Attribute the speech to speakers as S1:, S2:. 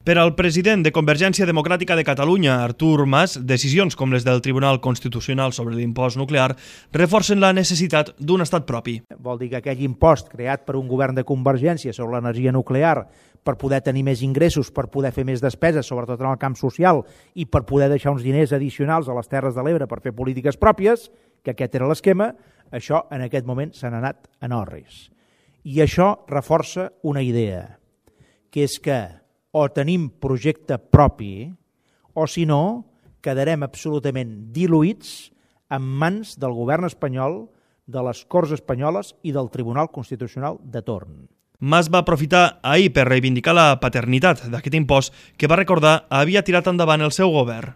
S1: Per al president de Convergència Democràtica de Catalunya, Artur Mas, decisions com les del Tribunal Constitucional sobre l'impost nuclear reforcen la necessitat d'un estat propi.
S2: Vol dir que aquell impost creat per un govern de Convergència sobre l'energia nuclear per poder tenir més ingressos, per poder fer més despeses, sobretot en el camp social, i per poder deixar uns diners addicionals a les Terres de l'Ebre per fer polítiques pròpies, que aquest era l'esquema, això en aquest moment se n'ha anat a no-res. I això reforça una idea, que és que o tenim projecte propi o, si no, quedarem absolutament diluïts en mans del govern espanyol, de les Corts espanyoles i del Tribunal Constitucional de torn.
S1: Mas va aprofitar ahir per reivindicar la paternitat d'aquest impost que va recordar havia tirat endavant el seu govern.